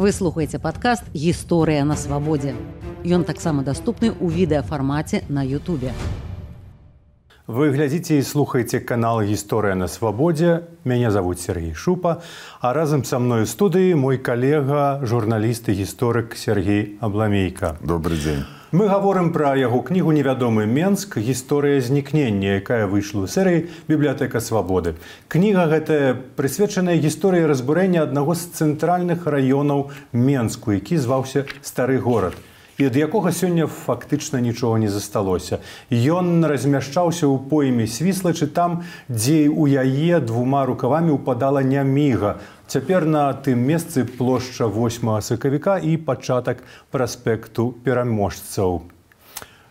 Вы слухаеце падкаст «Гісторыя на свабодзе». Ён таксама даступны ў відэафармаце на Ютубе. Вы глядзіце і слухаеце канал «Гісторыя на свабодзе». Мяне зовут Сергей Шупа, а разам са мной у студыі мой калега, журналіст і гісторык Сергей Абламейка. Добрый дзень. Мы гаворым пра яго кнігу «Невядомы Менск. Гісторыя знікнення», якая выйшла ў серыі «Бібліятэка свабоды». Кніга гэтая прысвечаная гісторыі разбурэння аднаго з цэнтральных раёнаў Менску, які зваўся Стары горад, і ад якога сёння фактычна нічога не засталося. Ён размяшчаўся ў пойме Свіслачы, там, дзе ў яе двума рукавамі ўпадала Няміга. Цяпер на тым месцы плошча 8 сакавіка і пачатак праспекту пераможцаў.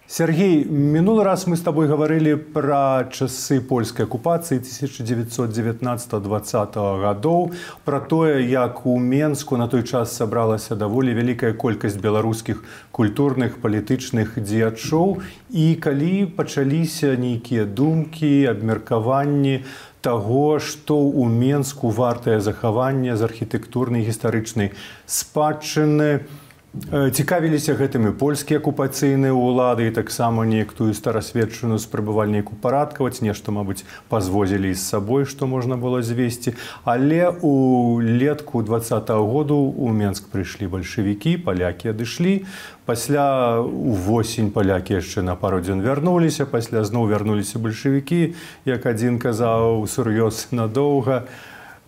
Сергей, мінулы раз мы з табой гаварылі пра часы польскай акупацыі 1919-20 гадоў, пра тое, як у Менску на той час сабралася даволі вялікая колькасць беларускіх культурных, палітычных дзеячоў, і калі пачаліся нейкія думкі, абмеркаванні таго, што ў Менску вартае захавання з архітэктурнай гістарычнай спадчыны. Цікавіліся гэтымі польскія акупацыйныя ўлады і таксама некую старасветчыну спрабавальніку парадкаваць, нешта, мабыць, пазвозілі з сабой, што можна было звесці. Але у летку 20-го году у Менск прыйшлі бальшавікі, палякі адышлі. Пасля увосень палякі яшчэ на пару дзён вярнуліся, пасля зноў вярнуліся бальшавікі, як адзін казаў, сур'ёз надоўга.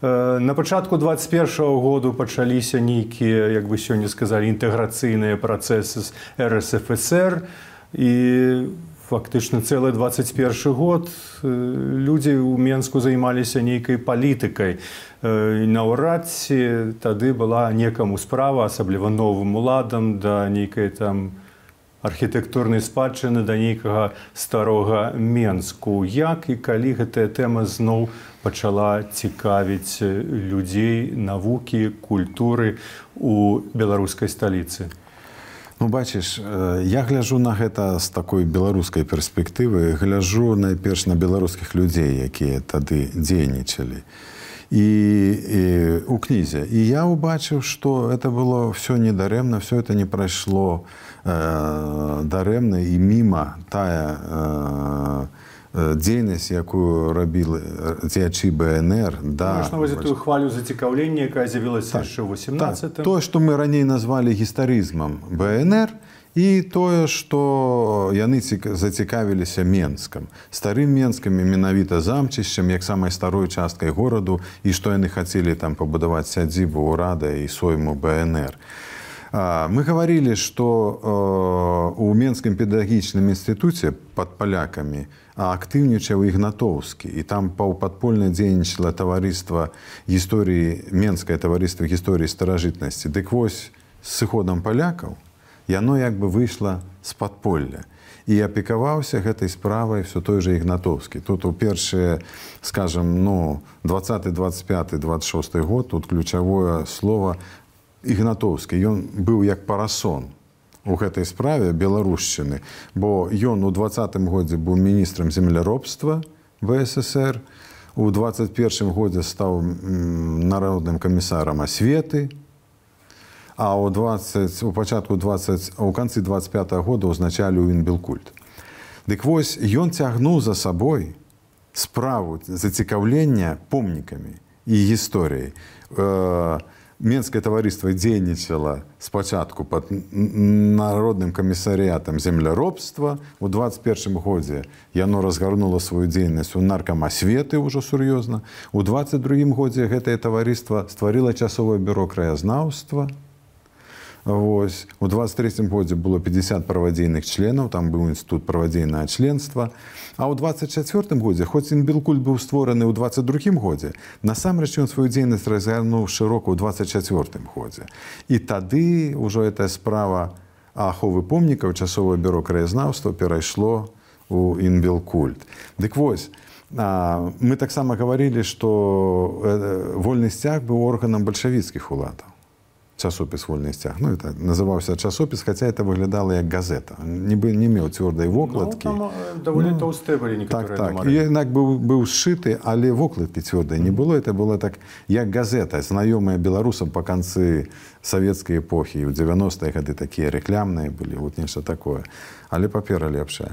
На пачатку 21-го году пачаліся нейкія, як бы сёння сказалі, інтэграцыйныя працэсы з РСФСР, і фактычна цэлы 21 год людзі ў Менску займаліся нейкай палітыкай. Наўрад ці тады была некаму справа, асабліва новым уладам, да нейкай там архітэктурнай спадчыны, да нейкага старога Менску. Як і калі гэтая тэма зноў пачала цікавіць людзей, навукі, культуры у беларускай сталіцы? Ну, бачыш, я гляджу на гэта з такой беларускай перспектывы, гляджу найперш на беларускіх людзей, якія тады дзейнічалі. І у кнізе. І я ўбачыў, што это было ўсё недарэмна, ўсё это не прайшло дарэмна і міма тая дзейнасць, якую рабілі дзеячы БНР. Можна нават тую хвалю зацікаўлення, якая з'явілася яшчэ ў 18-м. Тое, што мы раней назвалі гістарызмам БНР, і тое, што яны зацікавіліся Менскам. Старым Менскам і менавіта замчышчам, як самай старой часткай гораду, і што яны хацелі там пабудаваць сядзібу ўрада і сойму БНР. Мы гаварілі, што ў Менскім педагагічным інстытуце пад палякамі актыўнічаў Ігнатоўскі, і там паўпадпольна дзейнічала таварыства гісторыі, Менскае таварыства гісторыі старажытнасці. Дык вось, з сыходам палякаў яно як бы выйшла з падполля. І апекаваўся гэтай справай все той же Ігнатоўскі. Тут у першыя, скажем, 20, 25, 26 год, тут ключавое слово Ігнатоўскі. Ён быў як парасон у гэтай справе беларушчыны, бо ён у 20-м годзе быў міністрам земляробства БССР, у 21-м годзе стаў народным камісарам асветы, а у канцы 25-го года ўзначаліў Інбелкульт. Дык вось, ён цягнуў за сабой справу зацікаўлення помнікамі і гісторыяй. Менскае таварыства дзейнічала спачатку пад народным камісарыятам земляробства. У 21-м годзе яно разгарнула сваю дзейнасць у наркамасветы ўжо сур'ёзна. У 22-м годзе гэтае таварыства стварыла часовае бюро краязнаўства. Вось. У 23-м годзе было 50 правадзейных членаў, там быў інстытут правадзейнага членства. А ў 24-м годзе, хоць Інбелкульт быў створаны ў 22-м годзе, насамрэч ён сваю дзейнасць разгарнуў шырока ў 24-м годзе. І тады ўжо гэтая справа аховы помнікаў, часовае бюро краязнаўства перайшло ў Інбелкульт. Дык вось, мы таксама гаварылі, што вольны сцяг быў органам бальшавіцкіх уладаў. часопіс «Вольны сцяг». Ну, это называўся часопіс, хаця это выглядала як газета. Не меў цвёрдай вокладкі. Ну, там даволі тоўстыя былі некаторыя нумары. І інак быў сшыты, але вокладкі цвёрдай не было. Это было так, як газета, знаёмая беларусам па канцы савецкай эпохі. І ў 90-е гады такія рэклямныя былі, вот нешта такое. Але папера лепшая.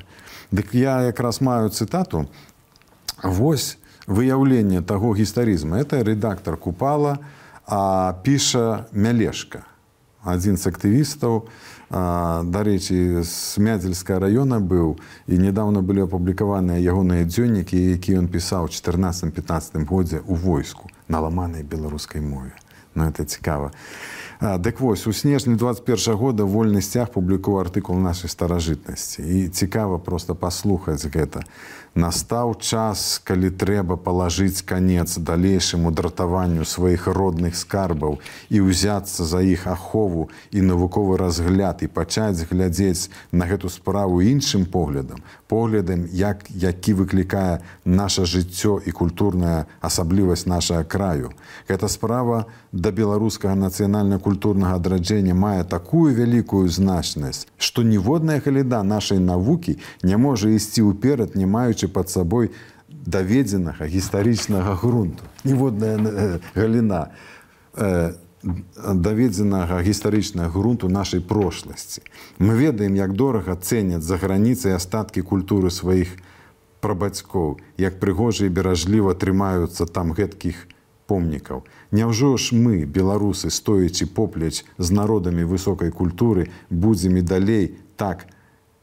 Дык я якраз маю цытату. Вось выяўленне таго гістарызму. Это рэдактар Купала, а піша Мялешка, адзін з актывістаў, дарэчы, з Мядзельскага раёна быў, і нядаўна былі апублікаваныя ягоныя дзённікі, які ён пісаў у 14-15 годзе ў войску на ламанай беларускай мове. Ну, это цікава. Дык вось, у снежні 21 года «Вольны сцяг» публікуе артыкул нашай старажытнасці. І цікава проста паслухаць гэта. Настаў час, калі трэба палажыць канец далейшаму дратаванню сваіх родных скарбаў і ўзяцца за іх ахову і навуковы разгляд і пачаць глядзець на гэту справу іншым поглядам, які выклікае наша жыццё і культурная асаблівасць нашага краю. Гэта справа да беларускага нацыянальна-культурнага адраджэння мае такую вялікую значнасць, што ніводная галіна нашай навукі не можа ісці ўперад, не маючы пад сабой даведзенага гістарычнага грунту. Ніводная галіна даведзенага гістарычнага грунту нашай прошласці. Мы ведаем, як дорага цэняць за граніцай астаткі культуры сваіх прабацькоў, як прыгожа і беражліва трымаюцца там гэткіх помнікаў. Няўжо ж мы, беларусы, стоячы поплеч з народамі высокай культуры, будзем і далей так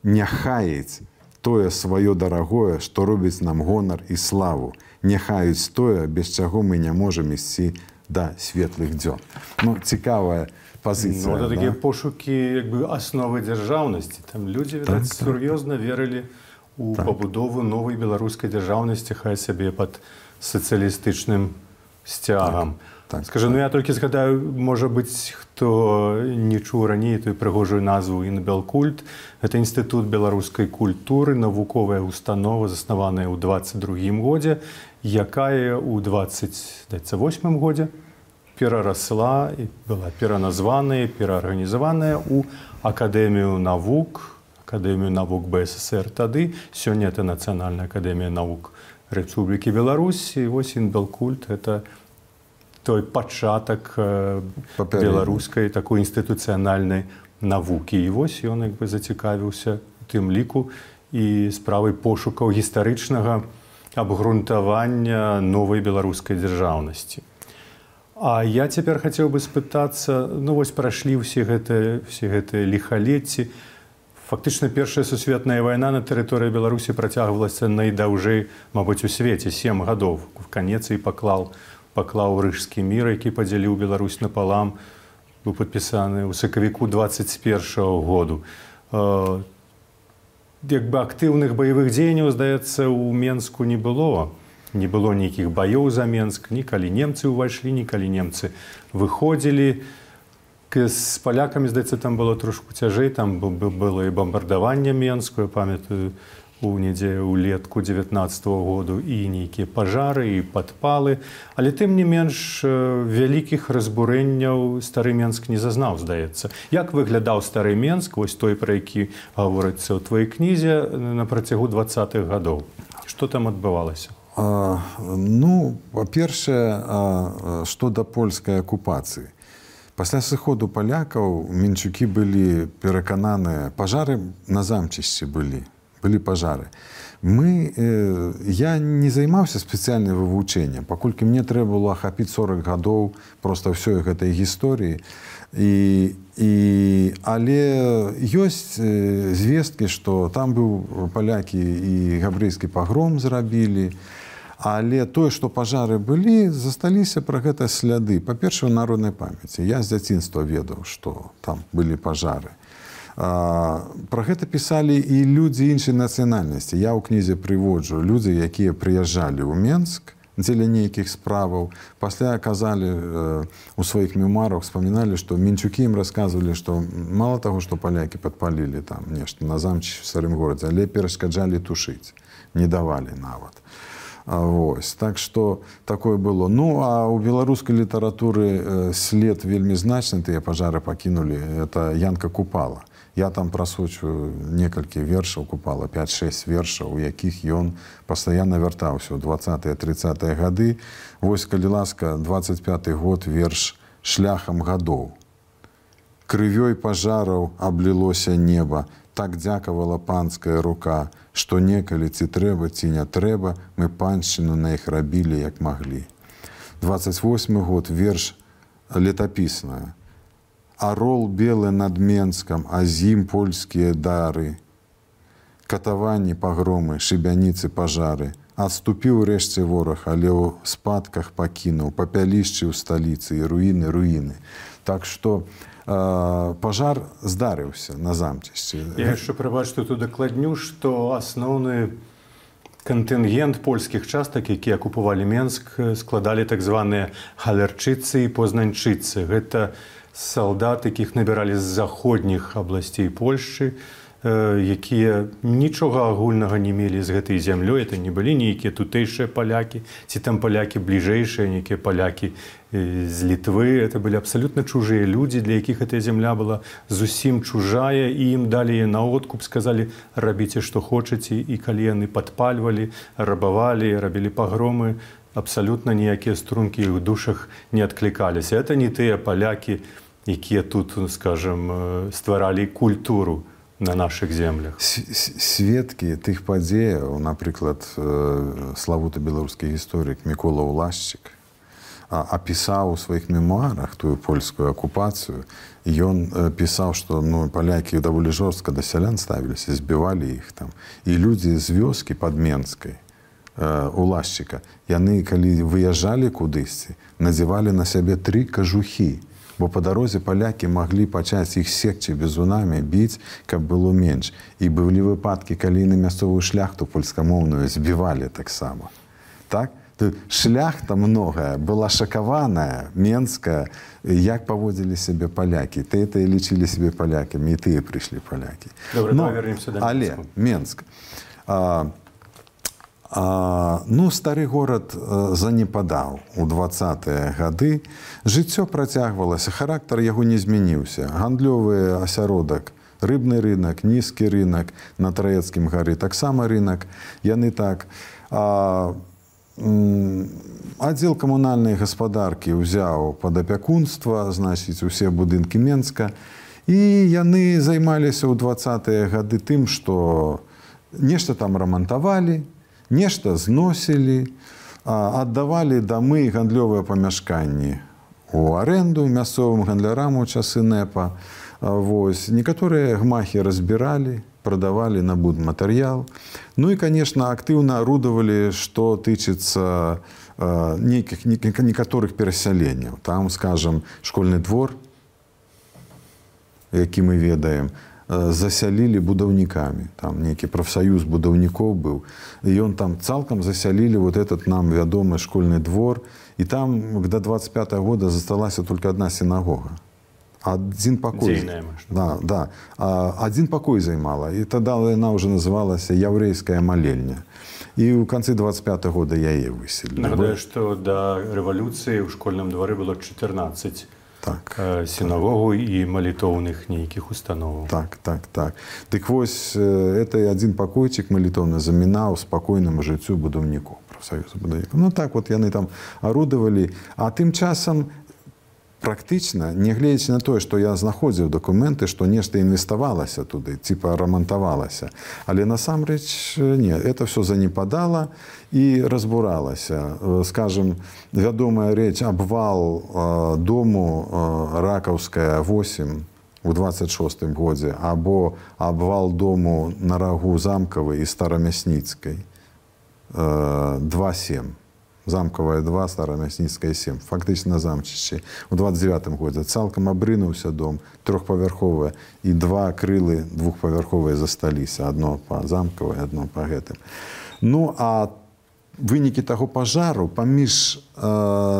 не хаяць тое сваё дарагое, што робіць нам гонар і славу, не хаюць тое, без чаго мы не можам ісці да светлых дзён. Ну, цікавая пазіцыя. Ну, это такія пошукі асновы дзяржаўнасці. Там людзі, відаць, сур'ёзна верылі ў пабудову новай беларускай дзяржаўнасці, хай сабе пад сацыялістычным сцягам. Скажы, ну я толькі згадаю, можа быць, хто не чуў раней тую прыгожую назву «Інбелкульт». Гэта інстытут беларускай культуры, навуковая установа, заснаваная ў 22-м годзе, якая ў 28-м годзе перарасла і была пераназваная, пераарганізаваная ў Акадэмію навук БССР тады. Сёння это Нацыянальная акадэмія навук Рэспублікі Беларусь. І вось «Інбелкульт» — это той пачатак беларускай такой інстытуцыянальнай навукі. І вось ён зацікавіўся у тым ліку і справай пошукаў гістарычнага абгрунтавання новай беларускай дзяржаўнасці. А я цяпер хацеў бы спытацца, ну вось прайшлі ўсе гэтыя ліхалецці. Фактычна Першая сусветная вайна на тэрыторыі Беларусі працягвалася найдаўжэй, мабыць, у свеце 7 гадоў. В канец і паклаў Рыжскі мір, які падзяліў Беларусь напалам, быў падпісаны ў сакавіку 21-го году. Актыўных баявых дзеянняў, здаецца, у Менску не было. Не было нейкіх баёў за Менск, ні калі немцы ўвайшлі, ні калі немцы выходзілі. З палякамі, здаецца, там было трошку цяжэй, там было і бамбардаванне Менску, я памятаю, улетку 19-го году, і нейкія пажары, і падпалы. Але тым не менш вялікіх разбурэнняў стары Менск не зазнаў, здаецца. Як выглядаў стары Менск, вось той, пра які гаворыцца ў тваёй кнізе, на працягу 20-х гадоў? Што там адбывалася? Ну, па-першае, што да польскай акупацыі. Пасля сыходу палякаў менчукі былі перакананыя, пажары на замчышчы былі пажары. Я не займаўся спецыяльным вывучэннем, паколькі мне трэба было ахапіць 40 гадоў проста ўсёй гэтай гісторыі. Але ёсць звесткі, што там быў палякі і габрэйскі пагром зрабілі, але тое, што пажары былі, засталіся пра гэта сляды. Па-першае, у народнай памяці. Я з дзяцінства ведаў, што там былі пажары. Пра гэта пісалі і людзі іншай нацыянальнасці. Я ў кнізе прыводжу людзі, якія прыязджалі ў Менск дзеля нейкіх справаў. Пасля казалі у сваіх мемуарах, вспаміналі, што менчукі ім расказвалі, што мала таго, што палякі падпалілі там нешта на замчы ў старым горадзе, але перашкаджалі тушыць, не давалі нават. Вось. Так што такое было. Ну, а ў беларускай літаратуры след вельмі значны, тыя пажары пакінулі, это Янка Купала. Я там прасочваю некалькі вершаў Купала, 5-6 вершаў, у якіх ён пастаянна вяртаўся ў 20-30-е гады. Вось, калі ласка, 25-й год, верш «Шляхам гадоў». Крывёй пажараў аблілося неба, так дзякавала панская рука, што некалі ці трэба, ці не трэба, мы паншчыну на іх рабілі, як маглі. 28-й год, верш летапісная. Арол белы над Менскам, а з ім польскія дары. Катаванні, пагромы, шыбяніцы, пажары. Адступіў рэшце вораг, але ў спадках пакінуў, папялішчы ў сталіцы і руіны. Так што пажар здарыўся на замчышчы. Я яшчэ прабачу тут удакладню, што асноўны кантынгент польскіх частак, якія акупавалі Менск, складалі так званыя галерчыцы і познаньчыцы. Гэта салдат, якіх набіралі з заходніх абласцей Польшчы, якія нічога агульнага не мелі з гэтай зямлёй. Это не былі нейкія тутэйшыя палякі, ці там палякі бліжэйшыя, нейкія палякі з Літвы. Это былі абсалютна чужыя людзі, для якіх эта зямля была зусім чужая, і ім далі на откуп, сказалі, рабіце, што хочаце, і калі яны падпальвалі, рабавалі, рабілі пагромы, абсалютна ніякія стрункі ў душах не адклікаліся. Это не тыя палякі, якія тут, скажем, стваралі культуру на наших землях. Сведкі тых падзеяў, напрыклад, славуты беларускі гісторык Мікола Улашчык апісаў у сваіх мемуарах тую польскую акупацыю. Ён пісаў, што палякі даволі жорстка да сялян ставіліся, збівалі іх там. І людзі з вёскі пад Менскай, Улашчыка, яны, калі выязджалі кудысьці, надзявалі на сябе 3 кажухі. Бо па дарозе палякі маглі пачаць іх секчы бізунамі, біць, каб было менш. І былі выпадкі, калі на мясцовую шляхту польскамоўную збівалі таксама. Так? Шляхта многая была шакаваная, менская, як паводзілі сябе палякі. Тыя лічылі сябе палякамі, і тыя прыйшлі палякі. Добра, давай вернемся да Менску. Але Менск. Стары горад занепадаў у 20-е гады. Жыццё працягвалася, характар яго не змяніўся. Гандлёвы асяродак, рыбны рынак, нізкі рынак, на Траецкім гары таксама рынак. Яны так. Аддзел камунальнай гаспадаркі ўзяў пад апякунства, значыць, усе будынкі Менска. І яны займаліся ў 20-е гады тым, што нешта там рамантавалі, нешта зносілі, аддавалі дамы і гандлёвыя памяшканні у арэнду мясцовым гандлярам у часы НЭПа. Некаторыя гмахі разбіралі, прадавалі на будматэрыял. Ну і, конечно, актыўна арудавалі, што тычыцца некаторых перасяленняў. Там, скажем, школьны двор, які мы ведаем, засялілі будаўнікамі. Там нейкі прафсаюз будаўнікоў быў. І ён там цалкам засялілі вот этот нам вядомы школьны двор. І там до 25-го года засталася только одна сінагога. Один покой. Да. Один покой займала. І тогда яна уже называлася яўрэйская малельня. І ў канцы 25-го года яе выселілі. Нагадаю, што да рэвалюцыі ў школьным двары было 14 сінагогу і малітоўных нейкіх установаў. Так. Дык вось, это адзін пакойчык малітоўны замінаў спакойнаму жыццю будаўнікоў, прафсаюзу будаўнікоў. Ну так вот яны там арудавалі, а тым часам практычна, нягледзячы на тое, што я знаходзіў дакументы, што нешта інвеставалася туды, типа рамантавалася. Але насамрэч не, это все занепадала і разбуралася. Скажем, вядомая рэч, абвал дому Ракаўская 8 у 26-м годзе, або абвал дому на рагу Замкавай і Старамясніцкай 2-7. Замкавая 2, Старамясніцкая 7. Фактычна на замчышчы. У 29-м годзе цалкам абрынуўся дом, 3-павярховыя, і 2 крылы 2-павярховыя засталіся. Адно па Замкавай, адно па гэтым. Ну, а вынікі таго пажару паміж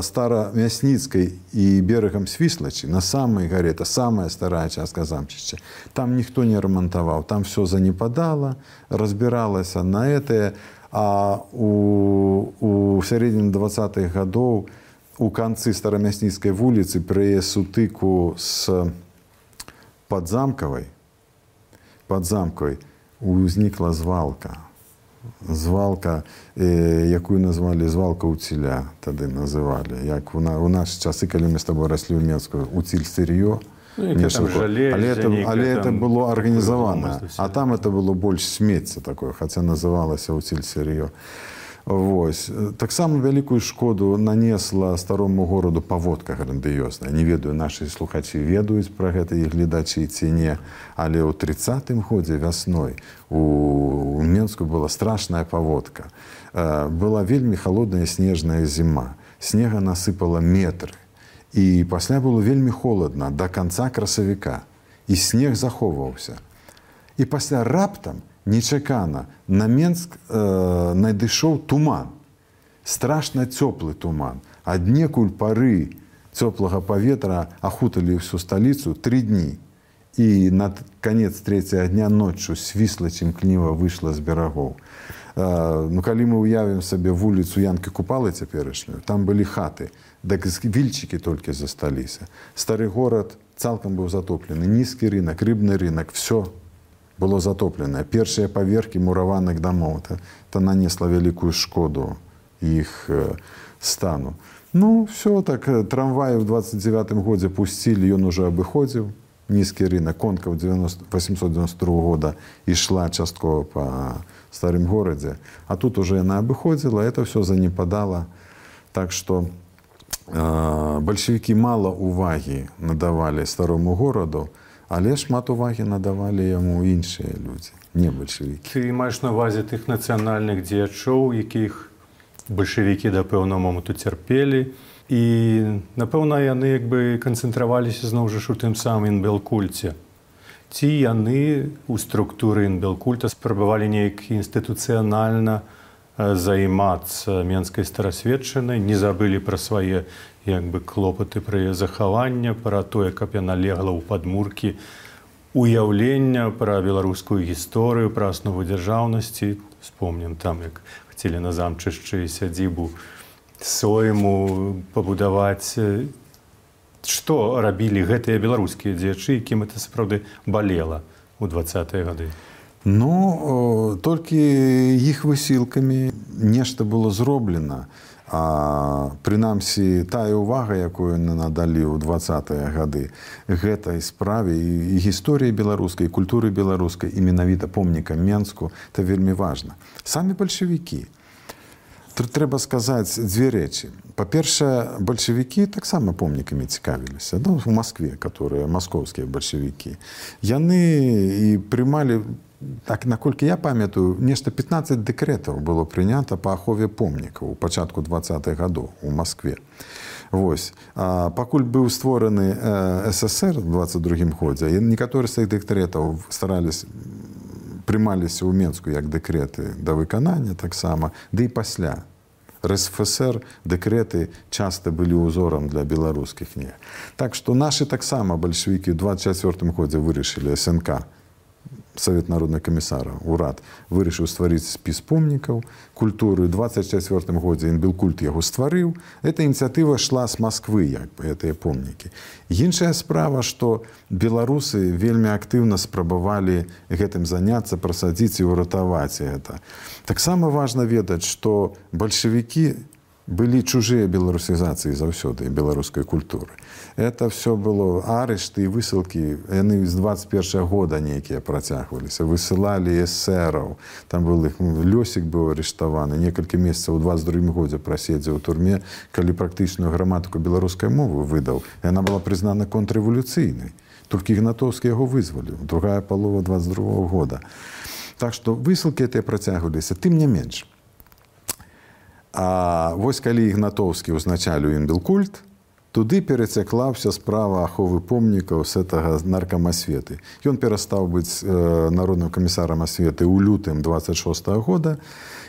Старамясніцкай і берагам Свіслачы на самай гаре, это самая старая частка замчышча, там ніхто не рамантаваў, там все занепадала, разбіралася на это. А у сярэдзіне 20-х гадоў у канцы Старамясніцкай вуліцы пры сутыку з Падзамкавай узнікла звалка. Звалка, якую назвалі звалка уціля, тады называлі. Як у наші часы, калі мы з тобой раслі ў Менску, уціль сырьё. Але это было арганізавана. А там это было больш смецце такое, хаця называлася уціль сырьё. Вось. Таксама вялікую шкоду нанесла старому гораду паводка грандыёзная. Не ведаю, нашы слухачы ведаюць пра гэта і гледачы ці не, але ў 30-м годзе вясной у Менску была страшная паводка. Была вельмі халодная снежная зіма. Снега насыпала метры. І пасля было вельмі холадна да канца красавіка. І снег захоўваўся. І пасля раптам нечакана на Менск надышоў туман. Страшна цёплы туман. Аднекуль пары цёплага паветра ахуталі ўсю сталіцу 3 дні. І на канец 3-го дня ноччу свісла цімкніва выйшла з берагоў. Калі мы уявім сабе вуліцу Янкі Купалы цяперашнюю, там былі хаты, дык вільчыкі толькі засталіся. Стары горад цалкам быў затоплены. Нізкі рынак, рыбны рынак, всё было затопленае. Першыя паверхі мураваных дамоў. Это нанесла вялікую шкоду іх стану. Все так. Трамваі ў 29-м годзе пусцілі, ён уже абыходзіў. Нізкі рынак. Конка 892 года ішла часткова па старым горадзе. А тут уже яна абыходзіла, это все занепадала. Так што бальшавікі мала увагі надавалі старому гораду, але шмат увагі надавалі яму іншыя людзі, не бальшавікі. Ты маеш на ўвазе тых нацыянальных дзеячоў, якіх бальшавікі да пэўнага моманту цярпелі, і, напэўна, яны канцэнтраваліся зноў жа ў тым самым інбелкульце. Ці яны ў структуры інбелкульта спрабавалі неяк інстытуцыянальна займацца менскай старасветчынай, не забылі пра свае клопаты пра яе захаванне, пра тое, каб яна легла ў падмуркі уяўлення пра беларускую гісторыю, пра аснову дзяржаўнасці. Вспомнім там, як хацелі на замчышчы сядзібу сойму пабудаваць. Што рабілі гэтыя беларускія дзеячы, якім это сапраўды балела ў 20-е гады? Толькі іх высілкамі нешта было зроблена. Прынамсі, тая ўвага, якую надалі ў 20-е гады гэтай справе і гісторыі беларускай, і культуры беларускай, і менавіта помнікам Менску, это вельмі важна. Самі бальшавікі. Трэба сказаць дзве рэчы. Па-першае, бальшавікі таксама помнікамі цікавіліся. У Маскве, которые маскоўскія бальшавікі. Яны і прымалі, так, наколькі я памятаю, нешта 15 дэкрэтаў было прынята па ахове помнікаў у пачатку 20-х гадоў у Маскве. Вось. Пакуль быў створаны СССР у 22-м годзе, некаторыя з тых дэкрэтаў прымаліся ў Менску як дэкрэты да выканання таксама, ды і пасля. РСФСР дэкрэты часта былі ўзорам для беларускіх не. Так што нашы таксама бальшавікі ў 24-м годзе вырашылі СНК, Савет народных камісараў, урад, вырашыў стварыць спіс помнікаў культуры. У 24-м годзе інбелкульт яго стварыў. Эта ініцыятыва шла з Масквы, гэтыя помнікі. Іншая справа, што беларусы вельмі актыўна спрабавалі гэтым заняцца, прасадзіць і ўратаваць гэта. Таксама важна ведаць, што бальшавікі былі чужыя беларусізацыі заўсёды беларускай культуры. Это все было арышты і высылкі, яны з 21-го года нейкія працягваліся, высылалі эсэраў, там был іх Лёсік быў арыштаваны, некалькі месяцаў у 22-м годзе праседзеў у турме, калі практычную граматыку беларускай мовы выдаў, яна была прызнана контррэвалюцыйнай. Толькі Ігнатоўскі яго вызваліў, другая палова 22-го года. Так што высылкі гэтыя працягваліся, тым не менш. А вось калі Ігнатоўскі ўзначаліў інбелкульт, туды перацякла ўся справа аховы помнікаў з гэтага наркам асветы. Ён перастаў быць народным камісарам асветы ў лютым 26-го года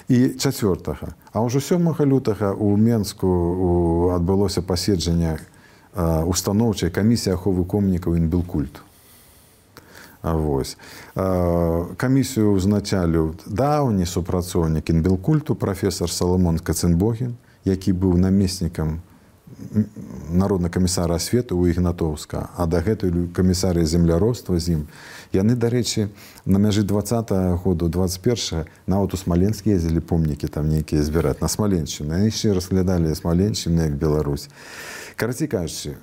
і 4-го. А ўжо 7 лютага ў Менску адбылося паседжанне устаноўчай камісіі аховы помнікаў інбелкульту. Вось. Камісію ўзначаліў даўні супрацоўнік інбелкульту прафесор Саламон Каценбогін, які быў намеснікам народнага камісара асветы ў Ігнатоўска, а дагэтуль камісарыя земляробства з ім. Яны, дарэчы, на мяжы 20-го году, 21-го, нават у Смаленск ездзілі помнікі там нейкія збіраць, на Смаленшчыну. Яны яшчэ разглядалі Смаленшчыну як Беларусь. Карацей кажучы,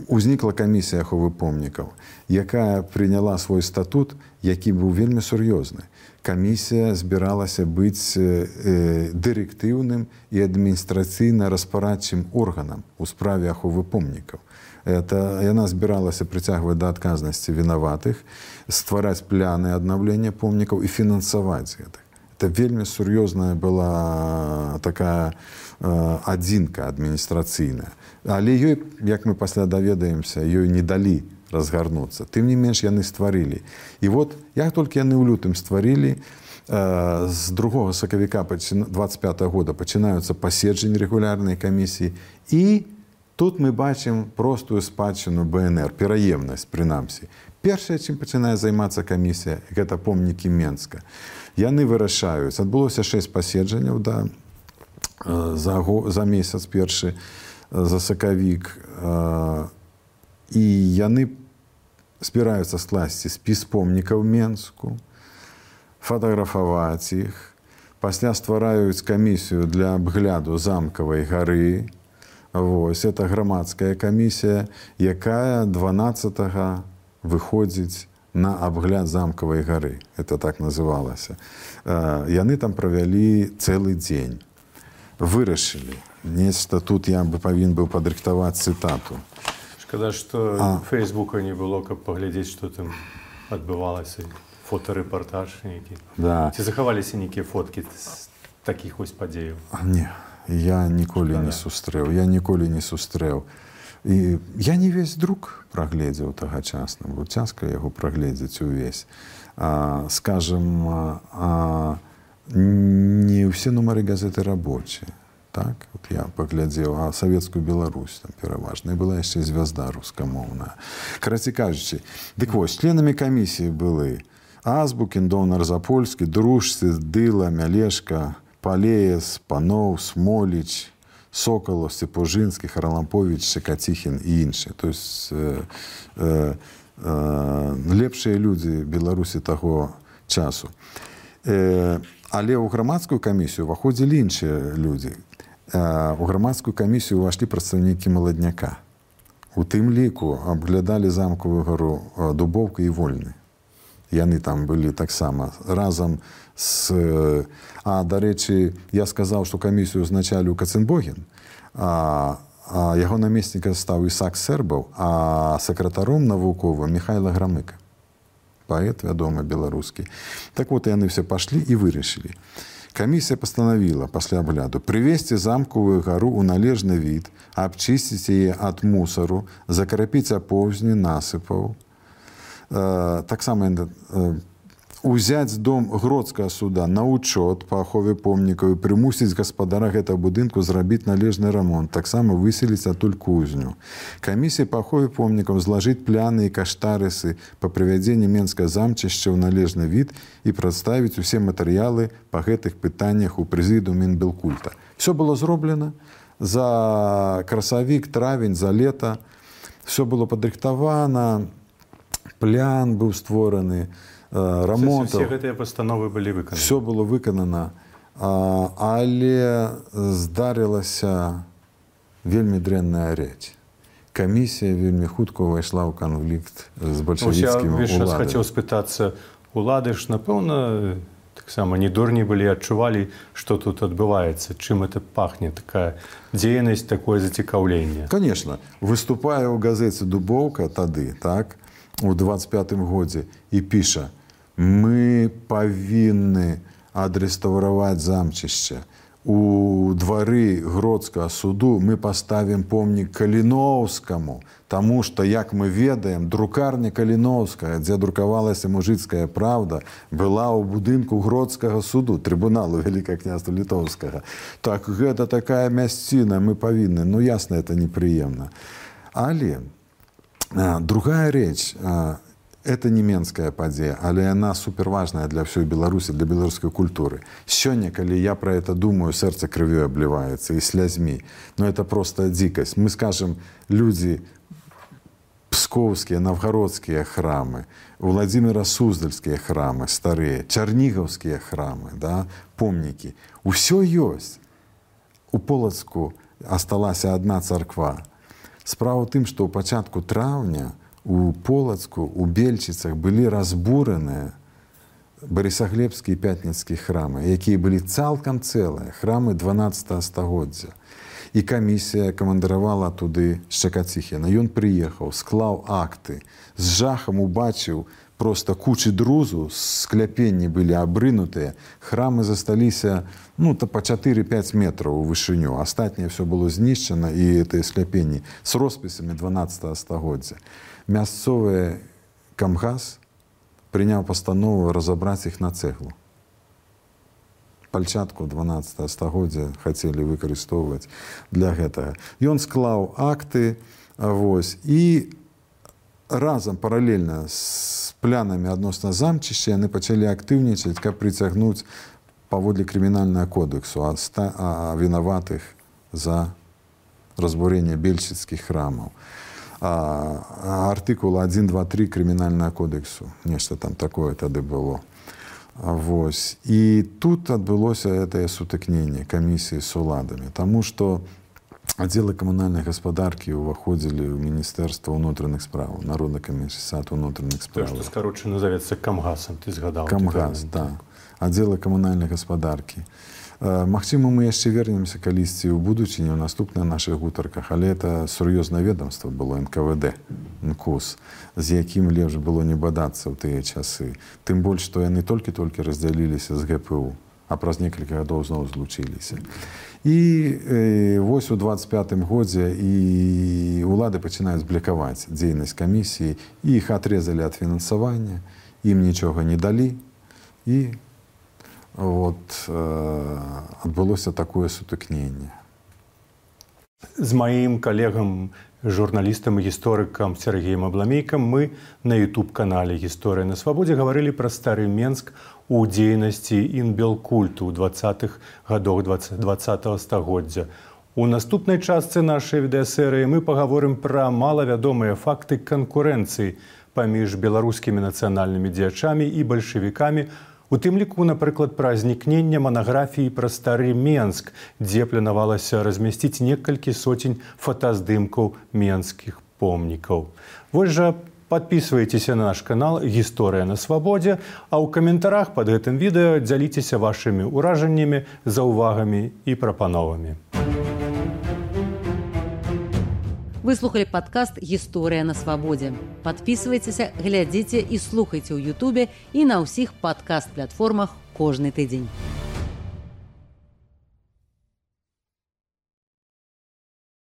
узнікла камісія аховы помнікаў, якая прыняла свой статут, які быў вельмі сур'ёзны. Камісія збіралася быць дырэктыўным і адміністрацыйна-распарадчым органам у справе аховы помнікаў. Яна збіралася прыцягваць да адказнасці вінаватых, ствараць пляны аднаўлення помнікаў і фінансаваць гэтых. Это вельмі сур'ёзная была такая адзінка адміністрацыйная. Але ёй, як мы пасля даведаемся, ёй не далі разгарнуцца. Тым не менш, яны стварылі. І вот, як толькі яны ў лютым стварылі, з 2 сакавіка 25-го года пачынаюцца паседжанні рэгулярнай камісіі, і тут мы бачым простую спадчыну БНР, пераемнасць, прынамсі. Першае, чым пачынае займацца камісія, гэта помнікі Менска. Яны вырашаюць. Адбылося 6 паседжанняў за месяц першы, за сакавік. І яны збіраюцца скласці спіс помнікаў Менску, фатаграфаваць іх, пасля ствараюць камісію для абгляду замкавай гары. Вось, это грамадская камісія, якая 12-го выходзіць на абгляд замкавай гары. Это так называлася. Яны там правялі цэлы дзень. Вырашылі. Нешта тут я бы павінен быў падрыхтаваць цытату. Шкада, што Фейсбука не было, каб паглядзець, што там адбывалася. Фотарэпартаж нейкі. Да. Ці захаваліся нейкія фоткі з такіх вось падзеяў? Не, я ніколі не сустрэў. І я не весь друк прагледзеў тагачасна, бо цяжка яго прагледзець увесь. Скажем, не ўсе нумары газеты рабочыя. Так, вот я паглядзеў, а савецкую Беларусь там пераважна. І была яшчэ звязда рускамоўная. Карацей кажучы, дык вось, членамі камісіі былі Азбукін, Донар Запольскі, Дружцы, Дыла, Мялешка, Палеес, Паноў, Смоліч, Соколов, Степожинский, Харлампович, Шекаціхін і іншыя. То есть лепшыя людзі Беларусі таго часу. Але ў грамадскую камісію ўваходзілі іншыя людзі. У грамадскую камісію ўвайшлі прадстаўнікі маладняка. У тым ліку абглядалі замкавую гару Дубоўка і Вольны. Яны там былі таксама разам з... дарэчы, я сказаў, што камісію ўзначаліў Каценбогін, а яго намеснікам стаў Ісак Сэрбаў, а сакратаром навуковым Міхайла Грамыка. Паэт, вядомы, беларускі. Так вот, яны все пашлі і вырашылі. Камісія пастанавіла пасля абгляду прывесці замкавую гару ў належны від, абчысціць яе ад мусару, закрапіць апоўзні насыпаў. Таксама узяць дом Гродскага суда на учёт па ахове помнікаў і прымусіць гаспадара гэтага будынку зрабіць належны рамонт, таксама выселіць адтуль кузню. Камісія па ахове помнікаў злажыць пляны і каштарысы па прывядзенні Менскага замчышча ў належны від і прадставіць усе матэрыялы па гэтых пытаннях у прэзідыуме Інбелкульта. Все было зроблена за красавік, травень, за лета. Все было падрыхтавана, плян быў створаны, рамонтаў. Все гэтыя пастановы былі выкананы. Все было выканана, але здарылася вельмі дрэнная рэч. Камісія вельмі хутка ўвайшла ў канфлікт з бальшавіцкімі ўладамі. Я зараз хацеў спытацца, улады ж, напэўна, таксама не дурні былі, адчувалі, што тут адбываецца, чым это пахне, такая дзейнасць, такое зацікаўленне. Конечно. Выступае ў газеце «Дубоўка» тады, так, у 25-м годзе і піша: мы павінны адрэстаўраваць замчышча. У двары Гродскага суду мы паставім помнік Каліноўскаму, таму што, як мы ведаем, друкарня Каліноўская, дзе друкавалася мужыцкая правда, была ў будынку Гродскага суду, трыбуналу Вялікага княства Літоўскага. Так, гэта такая мясціна, мы павінны. Ну, ясна, это непрыемна. Але другая рэч, это не менская падзея, але яна суперважная для ўсёй Беларусі, для беларускай культуры. Сёння, калі я про это думаю, сэрца крывёй абліваецца і слязьмі. Но это просто дзікасць. Мы скажем, людзі пскоўскія, навгародскія храмы, Владимира Суздальскія храмы старыя, чарнігаўскія храмы, да, помнікі. Усё ёсць. У Полацку асталася адна царква. Справа ў тым, што ў пачатку траўня у Полацку, у Бельчыцах былі разбураныя Барысаглебскі і Пятніцкі храмы, якія былі цалкам цэлыя, храмы 12 стагоддзя. І камісія камандаравала туды Шчакаціхіна. Ён прыехаў, склаў акты, з жахам убачыў просто кучы друзу, скляпенні былі абрынутыя, храмы засталіся па 4-5 метраў у вышыню. Астатняе ўсё было знішчана, і гэтыя скляпенні з роспісамі 12 стагоддзя. Мясцовы камгас прыняў пастанову разабраць іх на цэглу. Пальчатку 12 стагоддзя хацелі выкарыстоўваць для гэтага. Ён склаў акты, і разам паралельна з планамі адносна замчышча яны пачалі актыўнічаць, каб прыцягнуць паводле крымінальнага кодексу вінаватых за разбурэнне бельчыцкіх храмаў. Артыкул 1, 2, 3 крымінальнага кодексу. Нешта там такое тады было. І тут адбылося гэтае сутыкненне камісіі з уладамі, таму што аддзелы камунальнай гаспадаркі ўваходзілі ў Міністэрства ўнутраных справаў, Народны камісарыят унутраных справаў. То, што скарочана завецца камгасам, ты згадаў. Камгас, так. Аддзелы камунальнай гаспадаркі. Магчыма, мы яшчэ вернемся калісьці ў будучыні, ў наступных нашых гутарках, але это сур'ёзнае ведомства было НКВД, НКУС, з якім лепш было не бадацца ў тыя часы. Тым больш, што яны толькі-толькі раздзяліліся з ГПУ, а праз некалькі гадоў зноў злучыліся. І вось у 25-м годзе і ўлады пачынаюць блакаваць дзейнасць камісіі, і іх атрезалі ад фінансавання, ім нічога не далі, і адбылося такое сутыкненне. З маім калегам, журналістам і гісторыкам Сергеем Абламейкам мы на YouTube-канале «Гісторыя на свабодзе» гаварылі пра стары Менск у дзейнасці інбелкульту ў 20-х гадах 20-го стагоддзя. У наступнай частцы нашай відэасерыі мы пагаворым пра малавядомыя факты канкурэнцыі паміж беларускімі нацыянальнымі дзеячамі і бальшавікамі, у тым ліку, напрыклад, пра знікненне манаграфіі пра стары Менск, дзе планавалася размясціць некалькі соцень фотаздымкаў менскіх помнікаў. Вось жа, подписывайтеся на наш канал «Гісторыя на свабодзе», а ў каментарах пад гэтым відэо дзяліцеся вашымі ўражаннямі, заўвагамі і прапановамі. Вы слухали падкаст «Гісторыя на свабодзе». Падпісвайцеся, глядзіце і слухайце ў Ютубе і на ўсіх падкаст-платформах кожны тыдзень.